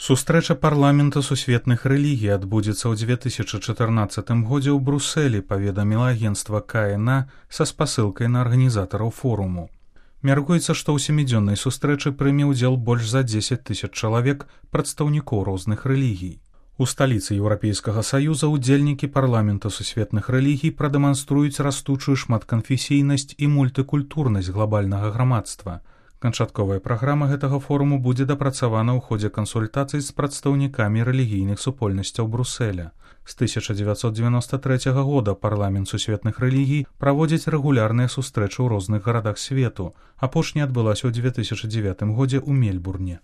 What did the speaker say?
Сустрэча парламента сусветных рэлігій адбудзецца ў 2014 годзе ў Брусэлі, паведаміла агенцтва КНА са спасылкай на арганізатараў форуму. Мяркуецца, што ў 7-дзённай сустрэчы прыме ўдзел больш за 10 000 чалавек, прадстаўнікоў розных рэлігій. У сталіцы Еўрапейскага Саюза удзельнікі парламента сусветных рэлігій прадэманструюць растучую шматканфесійнасць і мультыкультурнасць глабальнага грамадства. Канчатковая праграма гэтага форуму будзе дапрацавана ў ходзе кансультацый з прадстаўнікамі рэлігійных супольнасцяў Бруселя. З 1993 года парламент сусветных рэлігій праводзіць рэгулярныя сустрэчы ў розных гарадах свету. Апошняя адбылася ў 2009 годзе ў Мельбурне.